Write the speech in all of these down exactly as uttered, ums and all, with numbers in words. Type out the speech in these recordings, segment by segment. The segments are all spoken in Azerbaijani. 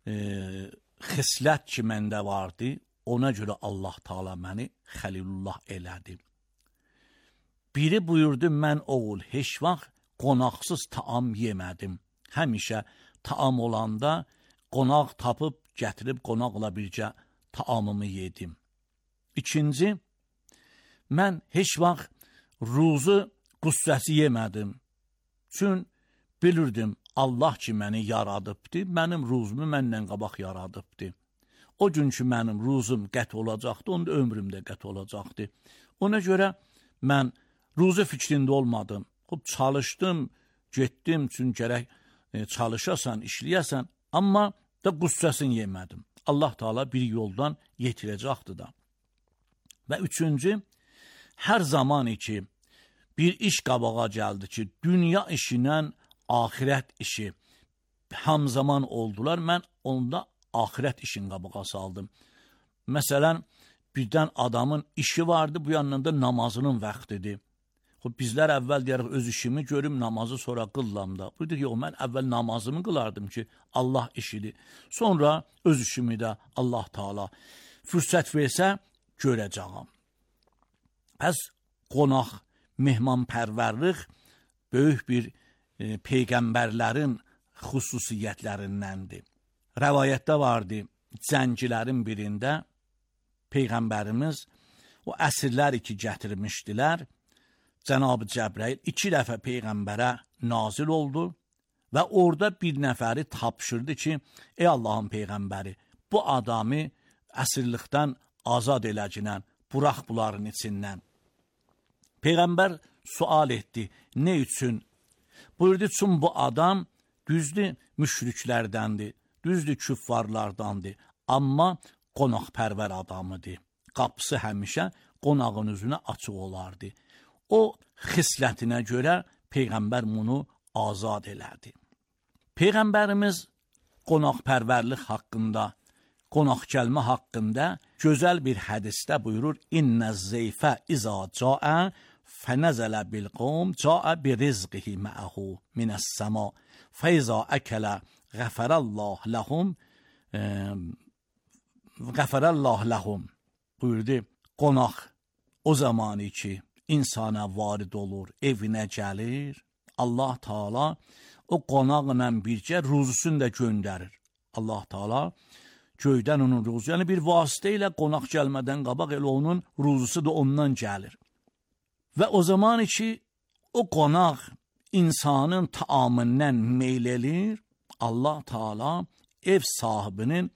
e, xislət ki məndə vardı, ona görə Allah Taala məni Xəlilullah elədi. Biri buyurdu, mən oğul heç vaxt qonaqsız taam yemədim. Həmişə taam olanda qonaq tapıb gətirib qonaqla bircə taamımı yedim. İkinci, mən heç vaxt ruzu qüssəsi yemədim. Çün bilirdim Allah ki məni yaradıbdı, mənim ruzumu məndən qabaq yaradıbdı. O gün ki mənim ruzum qət olacaqdı, onda ömrüm də qət olacaqdı. Ona görə mən ruzu fikrində olmadım. Xub çalışdım, getdim, çün gərək e, çalışasan, işləyəsən, amma da qüssəsini yemədim. Allah Taala bir yoldan yetirəcəkdi da. Və üçüncü, hər zaman ki bir iş qabağa gəldi ki, dünya işinə axirət işi hamzaman oldular, mən onda axirət işin qabağa saldım. Məsələn, birdən adamın işi vardı, bu yandan da namazının vaxtidir. Bizlər əvvəl deyərək öz işimi görüm, namazı sonra qıllam da. Bu deyir, yox, mən əvvəl namazımı qılardım ki, Allah işidir. Sonra öz işimi də Allah Taala fürsət versə görəcəyəm. Pəs qonaq, mehmanpərvərlik böyük bir e, peyğəmbərlərin xüsusiyyətlərindəndir. Rəvayətdə vardı, cəngilərin birində Peyğəmbərimiz o əsirləri ki gətirmişdilər, Cənab-ı Cəbrayil iki dəfə Peyğəmbərə nazil oldu və orada bir nəfəri tapşırdı ki, ey Allahın Peyğəmbəri, bu adamı əsirlikdən azad eləcinən, burax bunların içindən. Peyğəmbər sual etdi, nə üçün? Buyurdu, çünki bu adam düzdür müşriklərdəndir, düzdür küffarlardandır, amma qonaqpərvər adamıdır. Qapısı həmişə qonağın üzünə açıq olardı. O xislətinə görə Peyğəmbər bunu azad elədi. Peyğəmbərimiz qonaqpərvərlik haqqında, qonaq gəlmə haqqında gözəl bir hədisdə buyurur, İnnə zeyfə izə caə fənəzələ bil qovm caə bi rizqihi məəhu minəs-səma fəizə əkələ qəfərəllah ləhum qəfərəllah ləhum buyurdu, qonaq o zamanı ki insana varid olur, evinə gəlir, Allah Taala o qonaqla bircə ruzusunu da göndərir. Allah Taala göydən onun ruzu, yəni bir vasitə ilə qonaq gəlmədən qabaq elə onun ruzusu da ondan gəlir. Və o zaman ki o qonaq insanın taamından meyl elir, Allah Taala ev sahibinin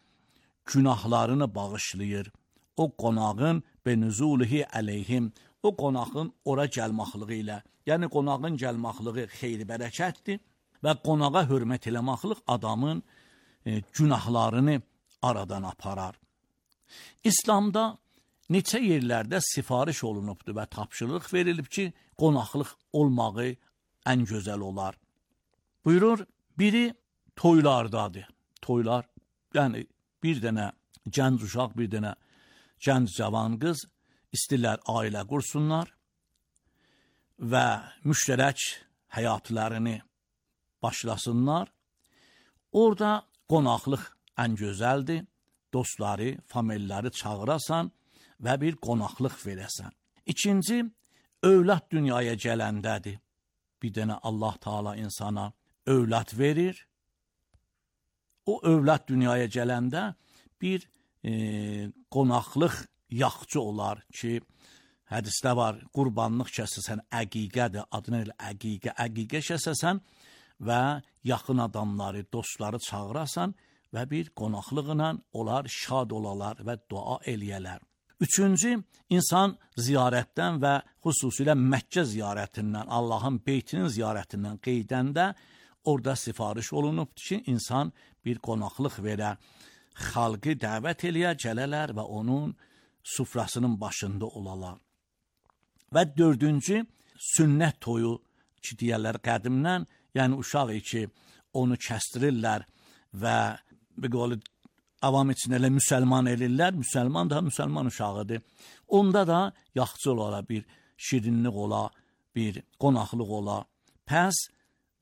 günahlarını bağışlayır. O qonağın benüzulihi əleyhim, o qonağın ora gəlməxlığı ilə, yəni qonağın gəlməxlığı xeyri bərəkətdir və qonağa hörmət eləməxlıq adamın e, günahlarını aradan aparar. İslamda neçə yerlərdə sifariş olunubdur və tapşırıq verilib ki, qonaqlıq olmağı ən gözəl olar. Buyurur, biri toylardadır. Toylar, yəni bir dənə gənc uşaq, bir dənə gənc cavan qız istəyirlər ailə qursunlar və müştərək həyatlarını başlasınlar. Orada qonaqlıq ən gözəldir. Dostları, familləri çağırasan və bir qonaqlıq verəsən. İkinci, övlad dünyaya gələndədir. Bir dənə Allah Taala insana övlad verir. O övlad dünyaya gələndə bir e, qonaqlıq yaxçı olar ki, hədisdə var, qurbanlıq kəsəsən əqiqədir, adını elə əqiqə, əqiqə kəsəsən və yaxın adamları, dostları çağırasan və bir qonaqlıqla onlar şad olalar və dua eləyələr. Üçüncü, insan ziyarətdən və xüsusilə Məkkə ziyarətindən, Allahın beytinin ziyarətindən qeydəndə orada sifariş olunubdur ki, insan bir qonaqlıq verə, xalqı dəvət eləyə, gələlər və onun sufrasının başında olalar. Və dördüncü, sünnət toyu ki, deyərlər qədimdən, yəni uşaq ki, onu kəstirirlər və bir qolu avam içində elə müsəlman elirlər, müsəlman da müsəlman uşağıdır. Onda da yaxçı ola, bir şirinlik ola, bir qonaqlıq ola. Pəs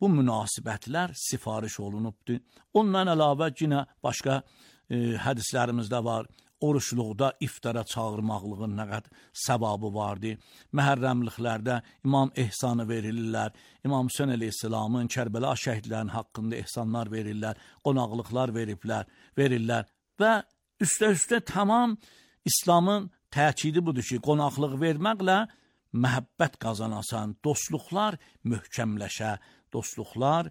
bu münasibətlər sifariş olunubdur. Ondan əlavə yenə başqa e, hədislərimizdə var. Oruçluqda iftara çağırmaqlığın nə qədər səvabı vardı. Məhərrəmliklərdə İmam ehsanı verirlər. İmam Hüseyn əleyhissalamın Kərbəla şəhidlərinin haqqında ehsanlar verirlər. Qonaqlıqlar veriblər, verirlər. Və üstə-üstə tamam İslamın təkidi budur ki, qonaqlıq verməklə məhəbbət qazanasan, dostluqlar möhkəmləşə, dostluqlar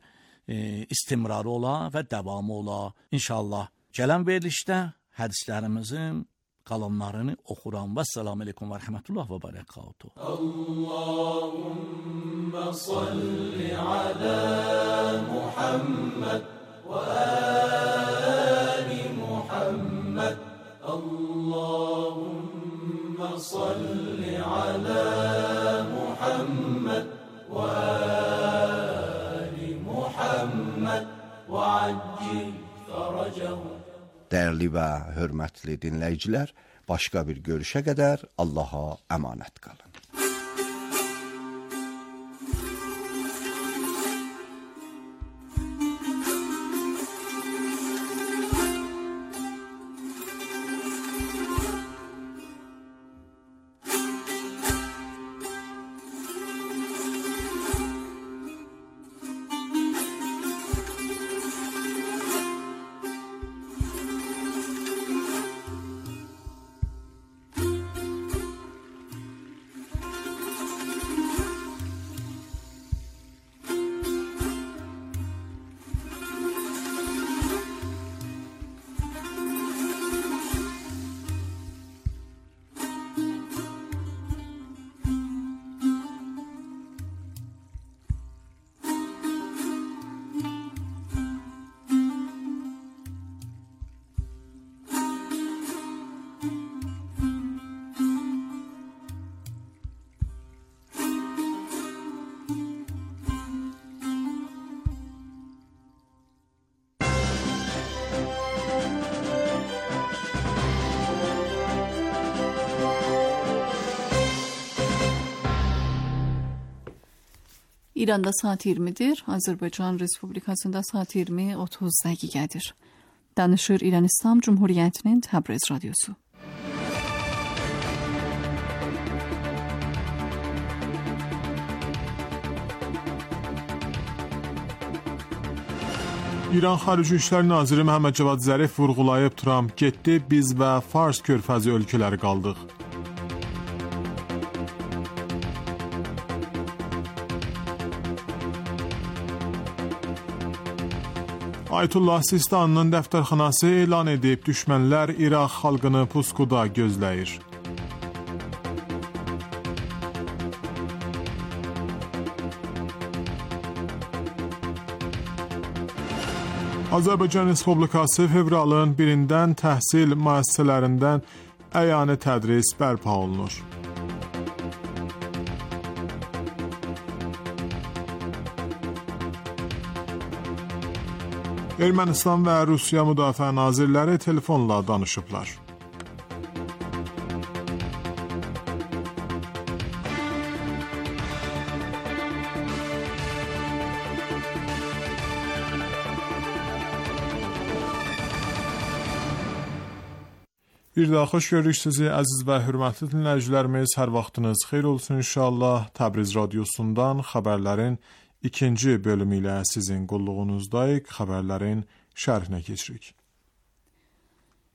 e, istimrarı ola və davamı ola. İnşallah gələn verilişdə hədislərimizin qalanlarını oxuram. Vəssalamu aleykum və rəhmətullah və bərəkatuhu. Allahümmə salli alə Muhammed və ali Muhammed. Allahümmə salli alə Muhammed və ali Muhammed və accil fərəcəhu. Dəyərli və hörmətli dinləyicilər, başqa bir görüşə qədər Allaha əmanət qalın. İranda saat iyirmidir, Azərbaycan Respublikasında saat iyirmi otuz dəqiqədir. Danışır İran İslam Cumhuriyyətinin Təbriz Radyosu. İran Xarici İşlər Naziri Məhəmməd Cavad Zərif vurğulayıb, Trump getdi, biz və Fars körfəzi ölkələri qaldıq. Ayətullah Sistanının dəftərxanası elan edib, düşmənlər İraq xalqını puskuda gözləyir. Azərbaycan Respublikası fevralın birindən təhsil müəssisələrindən əyani tədris bərpa olunur. Ermənistan və Rusiya müdafiə nazirləri telefonla danışıblar. Bir daha xoş görürük sizi, əziz və hörmətli dinləyicilərimiz. Hər vaxtınız xeyir olsun inşallah. Təbriz Radyosundan xəbərlərin ikinci bölümü ilə sizin qulluğunuzdayıq. Xəbərlərin şərhinə keçirik.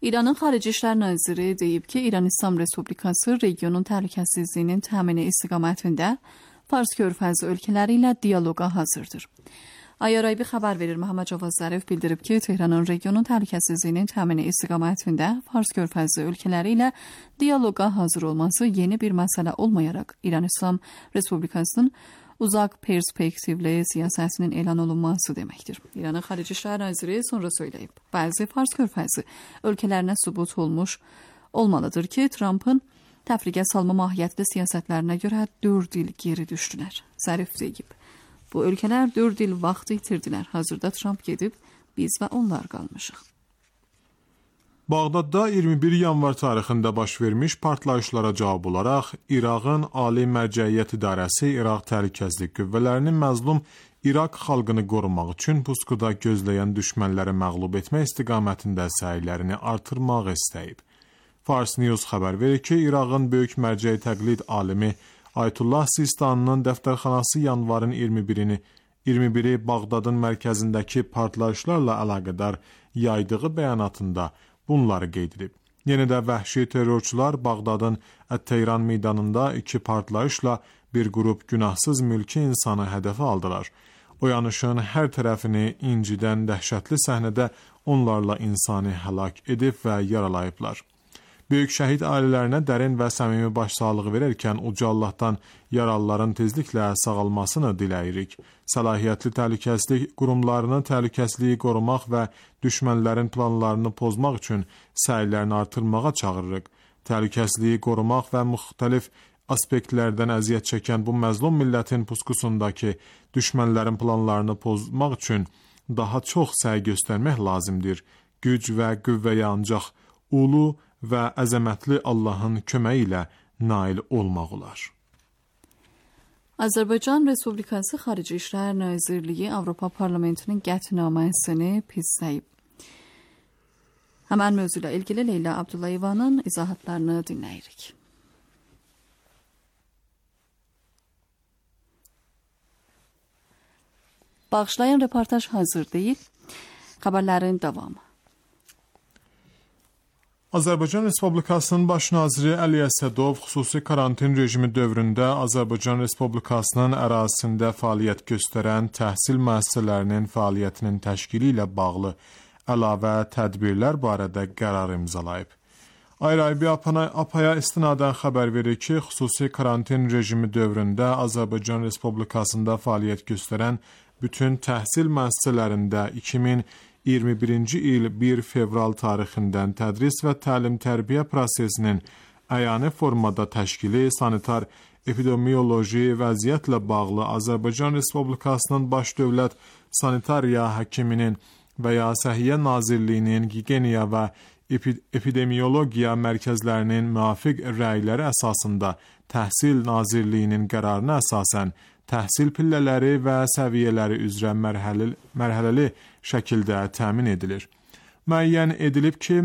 İranın Xarici İşlər Naziri deyib ki, İran İslam Respublikası regionun təhlükəsizliyinin təmini istiqamətində Fars körfəzi ölkələri ilə dialoqa hazırdır. Ayaraybi xəbər verir. Məhəmməd Cavad Zərif bildirib ki, Tehranın regionun təhlükəsizliyinin təmini istiqamətində Fars körfəzi ölkələri ilə dialoqa hazır olması yeni bir məsələ olmayaraq İran İslam Respublikasının uzaq perspektivli siyasətinin elan olunması deməkdir. İranın Xarici İşlər Naziri sonra söyləyib. Bəzi Fars körfəzi ölkələrinə sübut olmuş olmalıdır ki, Trump'ın təfriqə salma mahiyyətli siyasətlərinə görə dörd il geri düşdülər. Zərif deyib. Bu ölkələr dörd il vaxt itirdilər. Hazırda Trump gedib, biz və onlar qalmışıq. Bağdadda iyirmi bir yanvar tarixində baş vermiş partlayışlara cavab olaraq İraqın Ali Mərcəiyyət İdarəsi İraq Təhlükəsizlik Qüvvələrinin məzlum İraq xalqını qorumaq üçün puskuda gözləyən düşmənləri məğlub etmək istiqamətində səylərini artırmaq istəyib. Fars News xəbər verir ki, İraqın böyük mərcəyi təqlid alimi Ayətullah Sistanının dəftərxanası yanvarın iyirmi birini iyirmi biri Bağdadın mərkəzindəki partlayışlarla əlaqədar yaydığı bəyanatında bunları qeyd edib. Yenə də vəhşi terrorçular Bağdadın Ət-Teyran meydanında iki partlayışla bir qrup günahsız mülki insanı hədəfə aldılar. O yanışın hər tərəfini incidən dəhşətli səhnədə onlarla insani həlak edib və yaralayıblar. Böyük şəhid ailələrinə dərin və səmimi başsağlığı verərkən uca Allahdan yaralıların tezliklə sağalmasını diləyirik. Səlahiyyətli təhlükəsizlik qurumlarının təhlükəsizliyi qorumaq və düşmənlərin planlarını pozmaq üçün səylərini artırmağa çağırırıq. Təhlükəsizliyi qorumaq və müxtəlif aspektlərdən əziyyət çəkən bu məzlum millətin puskusundakı düşmənlərin planlarını pozmaq üçün daha çox səy göstərmək lazımdır. Güc və qüvvəyə ancaq ulu və əzəmətli Allahın köməyi ilə nail olmaq olar. Azərbaycan Respublikası Xarici İşlər Nazirliyi Avropa Parlamentinin qətnaməsini pisləyib. Həmən mövzu ilə ilgili Leyla Abdullayevanın izahatlarını dinləyirik. Bağışlayın, reportaj hazır deyil. Xəbərlərin davamı. Azərbaycan Respublikasının Baş naziri Əli Əsədov xüsusi karantin rejimi dövründə Azərbaycan Respublikasının ərazisində fəaliyyət göstərən təhsil müəssisələrinin fəaliyyətinin təşkili ilə bağlı əlavə tədbirlər barədə qərar imzalayıb. Ayraybi Apaya istinadən xəbər verir ki, xüsusi karantin rejimi dövründə Azərbaycan Respublikasında fəaliyyət göstərən bütün təhsil müəssisələrində iki min iyirmi birinci il bir fevral tarixindən tədris və təlim-tərbiyə prosesinin əyani formada təşkili, sanitar epidemioloji vəziyyətlə bağlı Azərbaycan Respublikasının baş dövlət sanitariya həkiminin və ya Səhiyyə Nazirliyinin gigiyena və epidemiologiya mərkəzlərinin müvafiq rəyləri əsasında Təhsil Nazirliyinin qərarına əsasən təhsil pillələri və səviyyələri üzrə mərhələli, mərhələli şəkildə təmin edilir. Müəyyən edilib ki,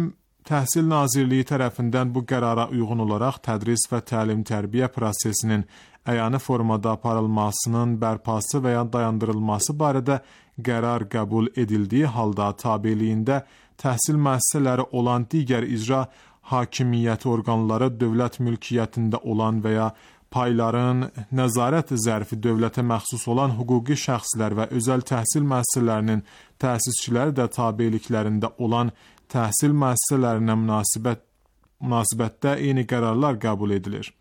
Təhsil Nazirliyi tərəfindən bu qərara uyğun olaraq tədris və təlim-tərbiyə prosesinin əyani formada aparılmasının bərpası və ya dayandırılması barədə qərar qəbul edildiyi halda tabeliyində təhsil müəssisələri olan digər icra hakimiyyət orqanları dövlət mülkiyyətində olan və ya payların nəzarət zərfi dövlətə məxsus olan hüquqi şəxslər və özəl təhsil müəssisələrinin təsisçiləri də tabeliklərində olan təhsil müəssisələrinə münasibət, münasibətdə eyni qərarlar qəbul edilir.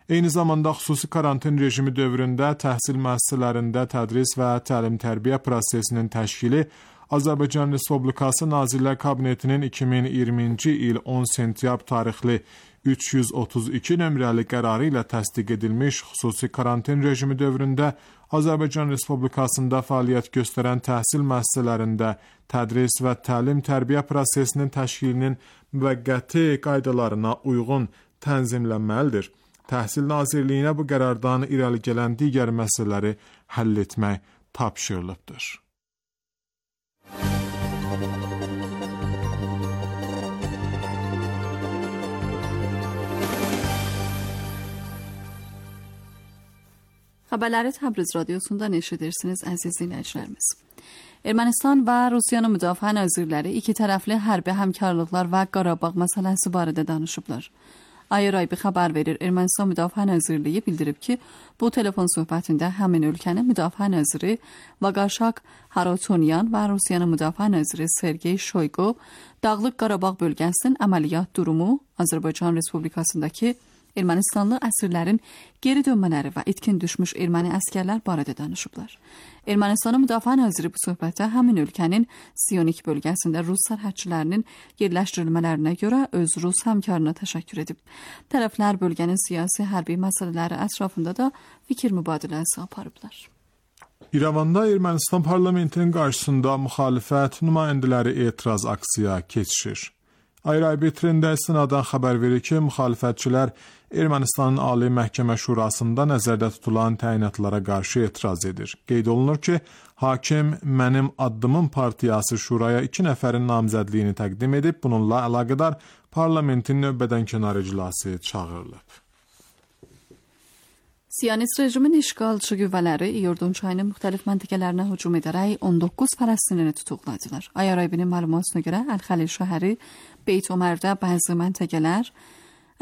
Eyni zamanda xüsusi karantin rejimi dövründə təhsil müəssisələrində tədris və təlim-tərbiyə prosesinin təşkili Azərbaycan Respublikası Nazirlər Kabinetinin iki min iyirminci il on sentyabr tarixli üç yüz otuz iki nömrəli qərarı ilə təsdiq edilmiş xüsusi karantin rejimi dövründə Azərbaycan Respublikasında fəaliyyət göstərən təhsil müəssisələrində tədris və təlim-tərbiyə prosesinin təşkilinin müvəqqəti qaydalarına uyğun tənzimlənməlidir. Təhsil Nazirliyinə bu qərardan irəli gələn digər məsələləri həll etmək tapşırılıbdır. Xəbərləri Təbriz radiosundan eşidirsiniz əziz dinləyicilərimiz. Ermənistan və Rusiyanın müdafiə nazirləri iki tərəfli hərbi həmkarlıqlar və Qarabağ məsələsi barədə danışıblar. Ayraybi xəbər verir. Ermənistan Müdafiə Nazirliyi bildirib ki, bu telefon söhbətində həmin ölkənin müdafiə naziri Vaqarşak Harotonyan və Rusiyanın müdafiə naziri Sergey Shoygu Dağlıq Qarabağ bölgəsinin əməliyyat durumu, Azərbaycan Respublikasındakı Ermənistanlı əsirlərin geri dönmələri və itkin düşmüş erməni əskərlər barədə danışıblar. Ermənistanın müdafiə naziri bu söhbətdə həmin ölkənin Sionik bölgəsində rus sərhədçilərinin yerləşdirilmələrinə görə öz rus həmkarına təşəkkür edib. Tərəflər bölgənin siyasi hərbi məsələləri ətrafında da fikir mübadiləsi aparıblar. İrəvanda Ermənistan parlamentinin qarşısında müxalifət nümayəndələri etiraz aksiya keçirir. Ayrı trenddə istinadən xəbər verir ki, müxalifətçilər Ermənistanın Ali Məhkəmə Şurasında nəzərdə tutulan təyinatlara qarşı etiraz edir. Qeyd olunur ki, hakim Mənim Addımım partiyası şuraya iki nəfərin namzədliyini təqdim edib, bununla əlaqədar parlamentin növbədənkənar iclası çağırılıb. Siyonist rejimin işğalçı qüvvələri İordun çayının müxtəlif məntəqələrinə hücum edərək on doqquz Fələstinini tutuqladılar. Ayarayibinin məlumatına görə Əl-Xəlil şəhəri, Beyt Ömərdə bəzi məntəqələr,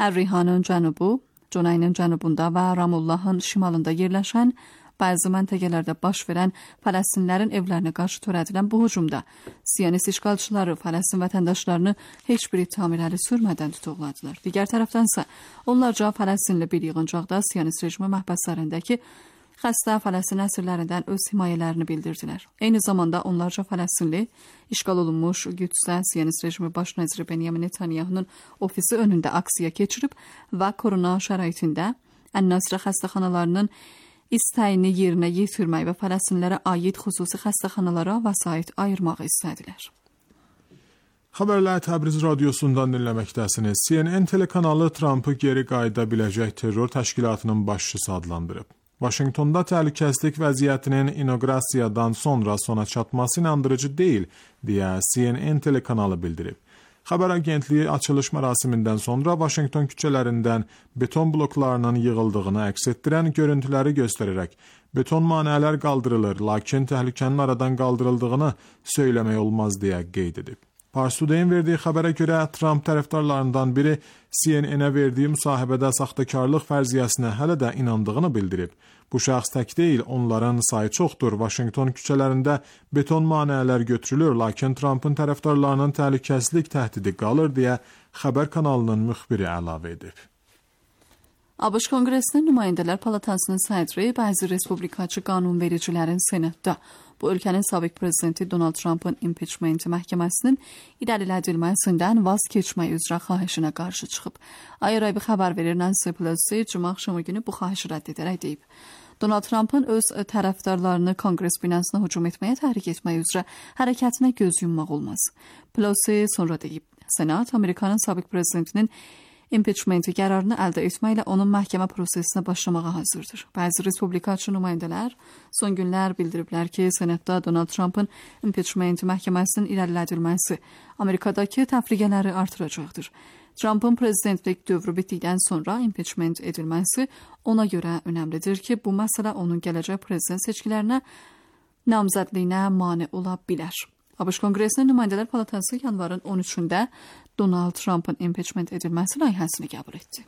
Ər-Rihanın cənubu, Cunayının cənubunda və Ramullahın şimalında yerləşən bəzi məntəqələrdə baş verən Fələstinlərin evlərinə qarşı törədilən bu hücumda Siyonist işğalçıları Fələstin vətəndaşlarını heç bir ittiham irəli sürmədən tutuqladılar. Digər tərəfdənsə, onlarca Fələstinli bir yığıncaqda Siyonist rejimi məhbəslərindəki xəstə Fələstin əsirlərindən öz himayələrini bildirdilər. Eyni zamanda onlarca Fələstinli işğal olunmuş Qüdsdə Siyonist rejimi baş naziri Benyamin Netanyahunun ofisi önündə aksiya keçirib və korona şəraitində Ən-Nasrə xəstəxanalarının istəyini yerinə yetirmək və Fələstinlərə aid xüsusi xəstəxanalara vəsait ayırmağı istədilər. Xəbərlər Təbriz radiosundan dinləməkdəsiniz. C N N telekanalı Trumpı geri qayıda biləcək terror təşkilatının başçısı adlandırıb. Vaşinqtonda təhlükəsizlik vəziyyətinin inoqrasiyadan sonra sona çatması inandırıcı deyil, deyə C N N telekanalı bildirib. Xəbər agentliyi açılış mərasimindən sonra Vaşinqton küçələrindən beton bloklarının yığıldığını əks etdirən görüntüləri göstərərək beton maneələr qaldırılır, lakin təhlükənin aradan qaldırıldığını söyləmək olmaz deyə qeyd edib. Pars Today-in verdiyi xəbərə görə Trump tərəfdarlarından biri C N N-ə verdiyi müsahibədə saxtakarlıq fərziyyəsinə hələ də inandığını bildirib. Bu şəxs tək deyil, onların sayı çoxdur. Vaşinqton küçələrində beton maneələr götürülür, lakin Trumpın tərəfdarlarının təhlükəsizlik təhdidi qalır deyə xəbər kanalının müxbiri əlavə edib. ABŞ Konqresinin Nümayəndələr Palatasının sədri bəzi respublikaçı qanunvericilərin senatda bu ölkənin sabiq prezidenti Donald Trumpın impeachment məhkəməsinin irəlilədilməsindən vaz keçmək üzrə xahişinə qarşı çıxıb. Ayıraybi xəbər verir Nancy Pelosi cümə axşamı günü bu xahişi rədd edərək deyib. Donald Trumpın öz tərəfdarlarını Konqres binasına hücum etməyə təhrik etmək üzrə hərəkətinə göz yummaq olmaz. Pelosi sonra deyib, Senat Amerikanın sabiq prezidentinin impeachmenti qərarını əldə etməklə onun məhkəmə prosesinə başlamağa hazırdır. Bəzi respublikaçı nümayəndələr son günlər bildiriblər ki, Senatda Donald Trumpın impeachment məhkəməsinin irəlilədilməsi Amerikadakı təfriqələri artıracaqdır. Trumpın prezidentlik dövrü bitdikdən sonra impeachment edilməsi ona görə önəmlidir ki, bu məsələ onun gələcək prezident seçkilərinə namzədliyinə mane ola bilər. ABŞ Konqresinin Nümayəndələr Palatası yanvarın on üçündə Donald Trumpın impeachment edilməsi layihəsini qəbul etdi.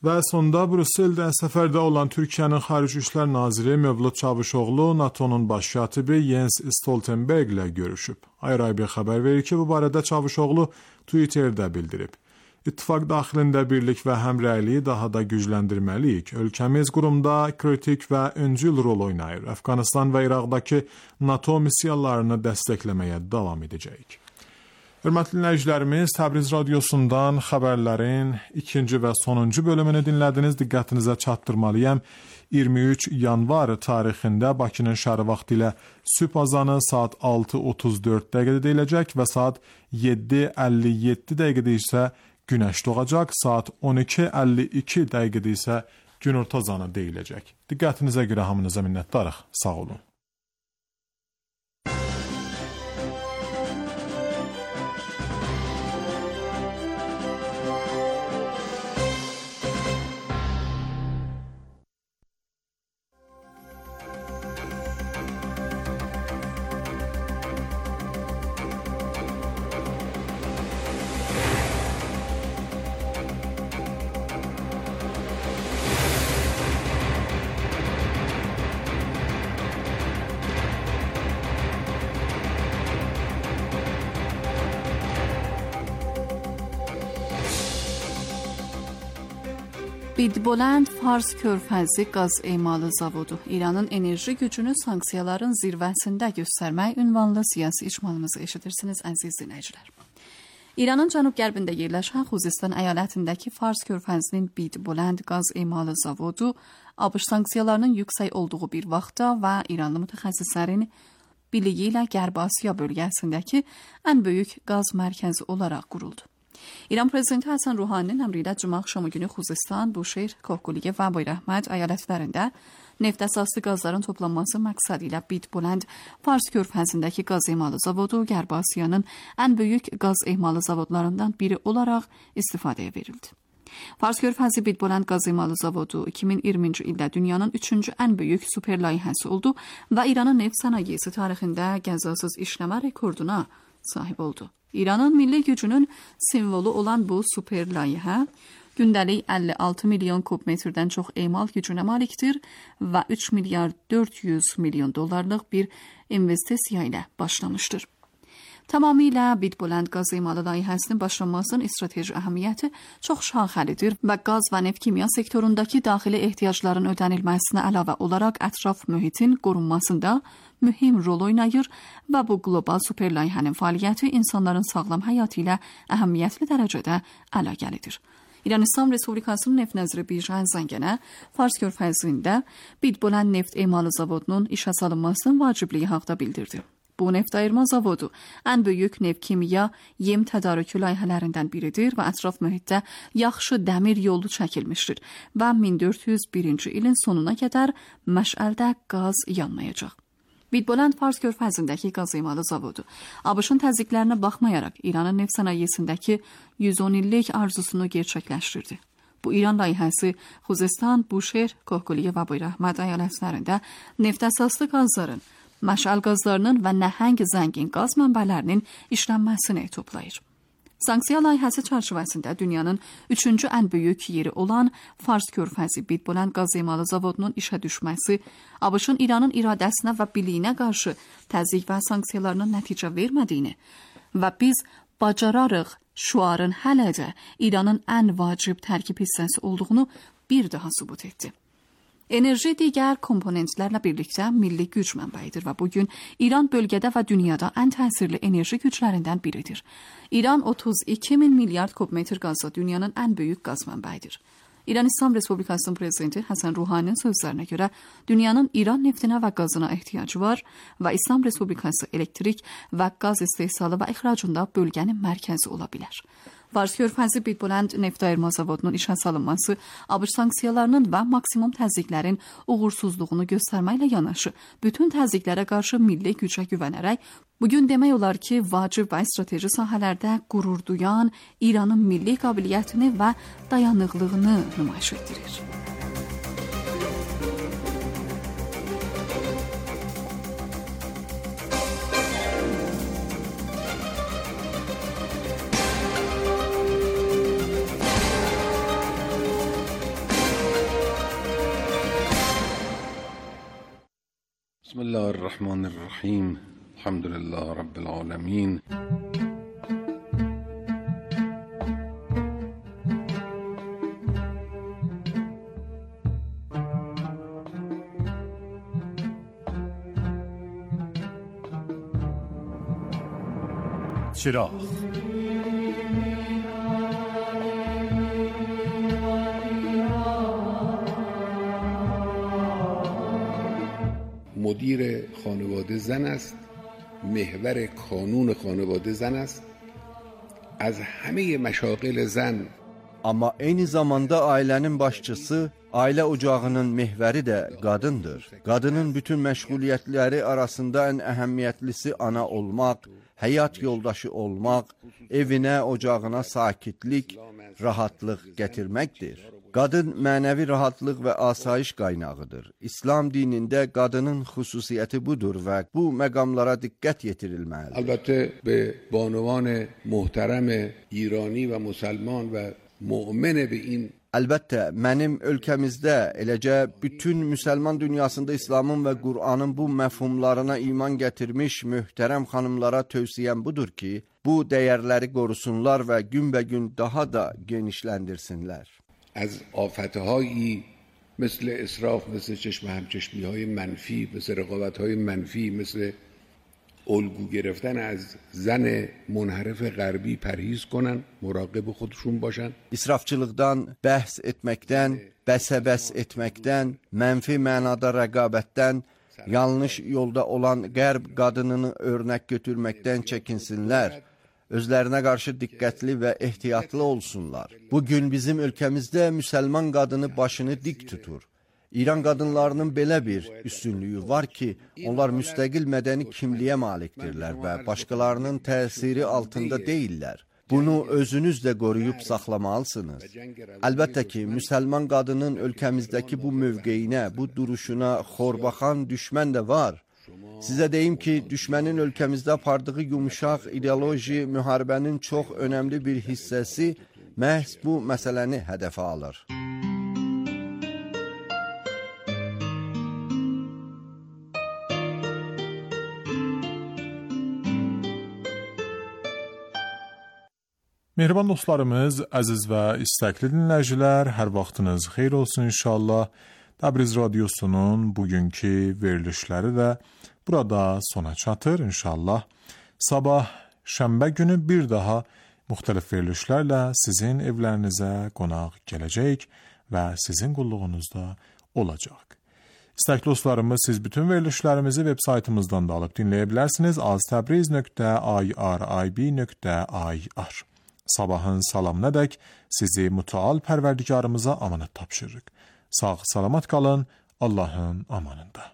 Və sonda Brüsseldə səfərdə olan Türkiyənin Xarici İşlər Naziri Mövlud Çavuşoğlu NATO'nun baş katibi Jens Stoltenberg ilə görüşüb. Ayrı-ayrı xəbər verir ki, bu barədə Çavuşoğlu Twitterdə bildirib. İttifaq daxilində birlik və həmrəyliyi daha da gücləndirməliyik. Ölkəmiz qurumda kritik və öncül rol oynayır. Əfqanistan və İraqdakı NATO missiyalarını dəstəkləməyə davam edəcəyik. Hörmətli dinləyicilərimiz, Təbriz radiosundan xəbərlərin ikinci və sonuncu bölümünü dinlədiniz. Diqqətinizə çatdırmalıyam. iyirmi üç yanvar tarixində Bakının şəhəri vaxtı ilə sübh azanı saat altı otuz dörd dəqiqədə deyiləcək və saat yeddi əlli yeddi dəqiqədə isə günəş doğacaq, saat on iki əlli iki dəqiqədə isə günorta azanı deyiləcək. Diqqətinizə görə hamınıza minnətdarıq. Sağ olun. Bidbulend Fars Körfəzi qaz emalı zavodu İranın enerji gücünü sanksiyaların zirvəsində göstərmək ünvanlı siyasi icmalımızı eşidirsiniz, əziz dinləyicilər. İranın cənub-qərbində yerləşən Xuzistan əyalətindəki Fars Körfəzinin Bidbulend qaz emalı zavodu ABŞ sanksiyalarının yüksək olduğu bir vaxtda və İranlı mütəxəssislərin birliyi ilə Qərbi Asiya bölgəsindəki ən böyük qaz mərkəzi olaraq quruldu. İran prezidenti Həsən Ruhaninin əmri ilə cümə axşamı günü Xuzestan, Buşehir, Kohkuliyə və Bayrahmad əyalətlərində neft əsaslı qazların toplanması məqsədi ilə Bitbolənd Fars körfəzindəki qaz emalı zavodu Qərbi Asiyanın ən böyük qaz emalı zavodlarından biri olaraq istifadəyə verildi. Fars körfəzi Bitbolənd qaz emalı zavodu iki min iyirminci ildə dünyanın üçüncü ən böyük super layihəsi oldu və İranın neft sənayesi tarixində qəzasız işləmə rekorduna sahib oldu. İranın milli gücünün simvolu olan bu super layihə gündəlik əlli altı milyon kubmetrdən çox emal gücünə malikdir və üç milyar dörd yüz milyon dollarlıq bir investisiya ilə başlamışdır. Tamamilə Bitbolənd qaz emalı layihəsinin başlanmasının strateji əhəmiyyəti çox şaxəlidir və qaz və neft kimya sektorundakı daxili ehtiyacların ödənilməsinə əlavə olaraq ətraf mühitin qorunmasında mühim rol oynayır və bu qlobal super layihənin fəaliyyəti insanların sağlam həyatı ilə əhəmiyyətli dərəcədə əlaqəlidir. İran İslam Respublikasının neft nəziri Birjan Zəngənə Fars körfəzində Bitbolənd neft emalı zavodunun işə salınmasının vacibliyi haqqında bildirdi. Bu neft ayırma zavodu ən böyük neft kimya yem tədarükü layihələrindən biridir və ətraf mühitdə yaxşı dəmir yolu çəkilmişdir və min dörd yüz birinci ilin sonuna qədər məşəldə qaz yanmayacaq. Bitbolənd Fars körfəzindəki qaz emalı zavodu ABŞ-ın təzyiqlərinə baxmayaraq İranın neft sənayesindəki yüz on illik arzusunu gerçəkləşdirdi. Bu İran layihəsi Xuzestan, Buşehir, Kohkuliyə və Bayrahmad əyalətlərində neft əsaslı qazların, məşəl qazlarının və nəhəng zəngin qaz mənbələrinin işlənməsini toplayır. Sanksiya layihəsi çərçivəsində dünyanın üçüncü ən böyük yeri olan Fars körfəzi Bitbolənd qaz emalı zavodunun işə düşməsi ABŞ-ın İranın iradəsinə və birliyinə qarşı təzyiq və sanksiyalarının nəticə vermədiyini və biz bacararıq şüarın hələ də İranın ən vacib tərkib hissəsi olduğunu bir daha sübut etdi. Enerji digər komponentlərlə birlikdə milli güc mənbəyidir və bugün İran bölgədə və dünyada ən təsirli enerji güclərindən biridir. İran otuz iki min milyard kubmetr qazla dünyanın ən böyük qaz mənbəyidir. İran İslam Respublikasının prezidenti Həsən Ruhaninin sözlərinə görə dünyanın İran neftinə və qazına ehtiyacı var və İslam Respublikası elektrik və qaz istehsalı və ixracında bölgənin mərkəzi ola bilər. Fars körfəzi Bitbolənd neft ayırma zavodunun işə salınması ABŞ sanksiyalarının və maksimum təzyiqlərin uğursuzluğunu göstərməklə yanaşı, bütün təzyiqlərə qarşı milli gücə güvənərək, bugün demək olar ki, vacib və strateji sahələrdə qürur duyan İranın milli qabiliyyətini və dayanıqlığını nümayiş etdirir. بسم الله الرحمن الرحیم الحمد لله رب العالمین چراغ مدیر خانواده زن است، محور کانون خانواده زن است. از همه مشاغل زن Amma eyni zamanda ailənin başçısı, ailə ocağının mehvəri də qadındır. Qadının bütün məşğuliyyətləri arasında ən əhəmiyyətlisi ana olmaq, həyat yoldaşı olmaq, evinə, ocağına sakitlik, rahatlıq gətirməkdir. Qadın mənəvi rahatlıq və asayiş qaynağıdır. İslam dinində qadının xüsusiyyəti budur və bu məqamlara diqqət yetirilməlidir. البته به بانوان محترم ایرانی و مسلمان و مؤمن به این Əlbəttə, mənim ölkəmizdə, eləcə bütün müsəlman dünyasında İslamın və Qur'anın bu məfhumlarına iman gətirmiş möhtərəm xanımlara tövsiyəm budur ki, bu dəyərləri qorusunlar və günbəgün daha da genişləndirsinlər. از آفتهایی مثل اسراف، مثل چشم همچشمی های منفی، مثل رقابت های منفی، مثل الگو گرفتن از زن منحرف غربی پرهیز کنن، مراقب خودشون باشن. İsrafçılıqdan, bəhs etməkdən, bəsəbəs etməkdən, mənfi mənada rəqabətdən Yanlış yolda olan qərb qadınını örnək götürməkdən çəkinsinlər. Özlərinə qarşı diqqətli və ehtiyatlı olsunlar. Bugün bizim ölkəmizdə müsəlman qadını başını dik tutur. İran qadınlarının belə bir üstünlüyü var ki, onlar müstəqil mədəni kimliyə malikdirlər və başqalarının təsiri altında deyillər. Bunu özünüz də qoruyub saxlamalısınız. Əlbəttə ki, müsəlman qadının ölkəmizdəki bu mövqeyinə, bu duruşuna xorbaxan düşmən də var. Sizə deyim ki, düşmənin ölkəmizdə apardığı yumuşaq ideoloji müharibənin çox önəmli bir hissəsi məhz bu məsələni hədəfə alır. Mehriban dostlarımız, əziz və istəkli dinləyicilər, hər vaxtınız xeyir olsun inşallah. Təbriz Radyosu'nun bugünkü verilişləri də burada sona çatır inşallah. Sabah şənbə günü bir daha müxtəlif verilişlərlə sizin evlərinizə qonaq gələcək və sizin qulluğunuzda olacaq. İstəkli dostlarımız, siz bütün verilişlərimizi web saytımızdan da alıb dinləyə bilərsiniz. aztabriz nöqtə irib nöqtə ir. Sabahın salamınədək sizi mütəal pərverdigarımıza amanət tapşırırıq. Sağ, salamat qalın, Allahın amanında.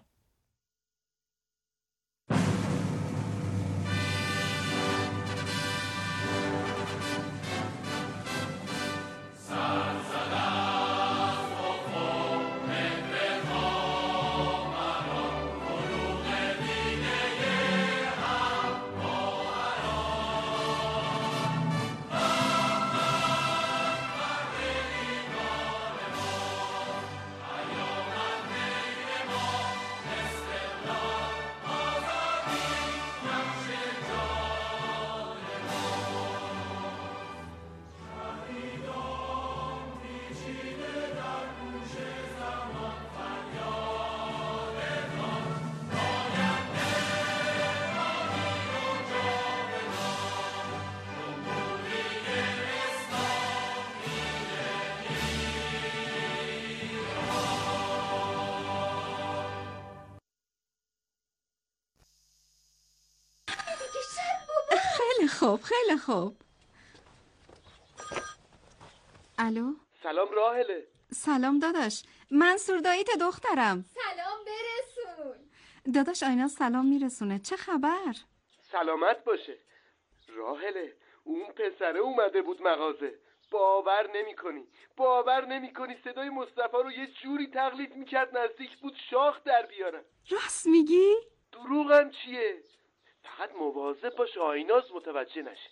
خب خیلی خوب. الو؟ سلام راهله. سلام داداش، منصور داییت دخترم. سلام برسون. داداش آینا سلام میرسونه. چه خبر؟ سلامت باشه. راهله، اون پسره اومده بود مغازه. باور نمی کنی باور نمی کنی صدای مصطفی رو یه جوری تقلید میکرد نزدیک بود شاخ در بیارن. راست میگی؟ دروغم چیه؟ فقط مواظب باش آیناز متوجه نشه.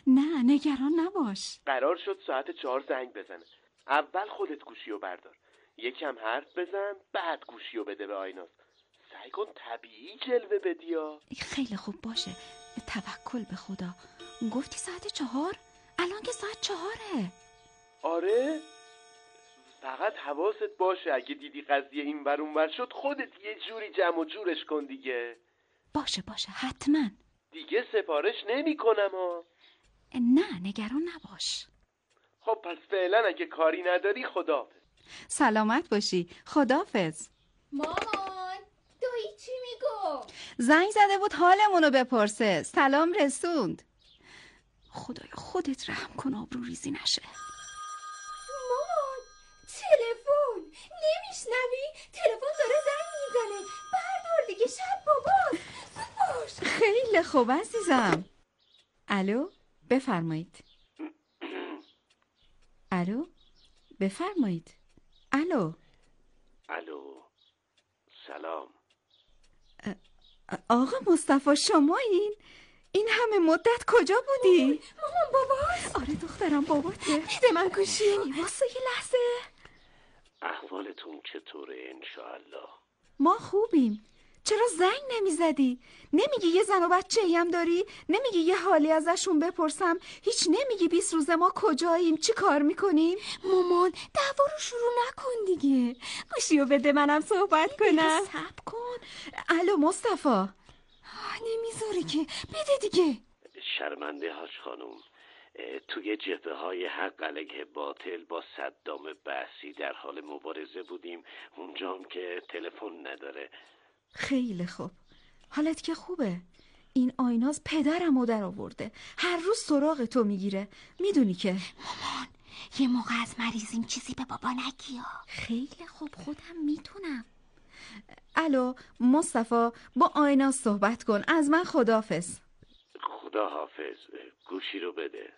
نه نگران نباش. قرار شد ساعت چهار زنگ بزنه. اول خودت گوشیو بردار، یکم حرف بزن، بعد گوشیو بده به آیناز. سعی کن طبیعی جلوه بدیا. خیلی خوب باشه، توکل به خدا. گفتی ساعت چهار؟ الان که ساعت چهاره. آره؟ فقط حواست باشه اگه دیدی قضیه این ور اون ور شد خودت یه جوری جمع و جورش کن دیگه. باشه باشه حتما. دیگه سفارش نمی کنم ها. نه نگران نباش. خب پس فعلا اگه کاری نداری خداحافظ. سلامت باشی. خداحافظ. مامان دایی چی میگو؟ زنگ زده بود حالمونو بپرسه. سلام رسوند. خدایا خودت رحم کن آبرو ریزی نشه. مامان تلفن نمیشنوی؟ تلفن داره زنگ میزنه. بردار دیگه شب باباست. باش. خیلی خوب عزیزم. الو بفرمایید. الو بفرمایید. الو الو سلام. آقا مصطفی شمایین؟ این همه مدت کجا بودی؟ مامان باباست. آره دخترم باباته. بده من گوشی. واسه یه لحظه. احوالتون چطوره انشاءالله؟ ما خوبیم. چرا زنگ نمیزدی؟ نمیگی یه زن و بچه‌ای هم داری؟ نمیگی یه حالی ازشون بپرسم؟ هیچ نمیگی بیست روزه ما کجاییم؟ چی کار میکنیم؟ مامان دعوا رو شروع نکن دیگه. گوشیو بده منم صحبت کنم. صبر کن. الو مصطفی. نمیذاری که. بده دیگه. شرمنده هاش خانوم، توی جبهه های حق علیه باطل با صدام بحثی در حال مبارزه بودیم. اونجا هم که تلفن نداره. خیلی خوب. حالت که خوبه. این آیناز پدرم رو در آورده. هر روز سراغ تو میگیره. میدونی که مامان یه موقع از مریضیم چیزی به بابا نگیا. خیلی خوب خودم میتونم. الو مصطفی، با آیناز صحبت کن. از من خداحافظ. خدا حافظ. گوشی رو بده.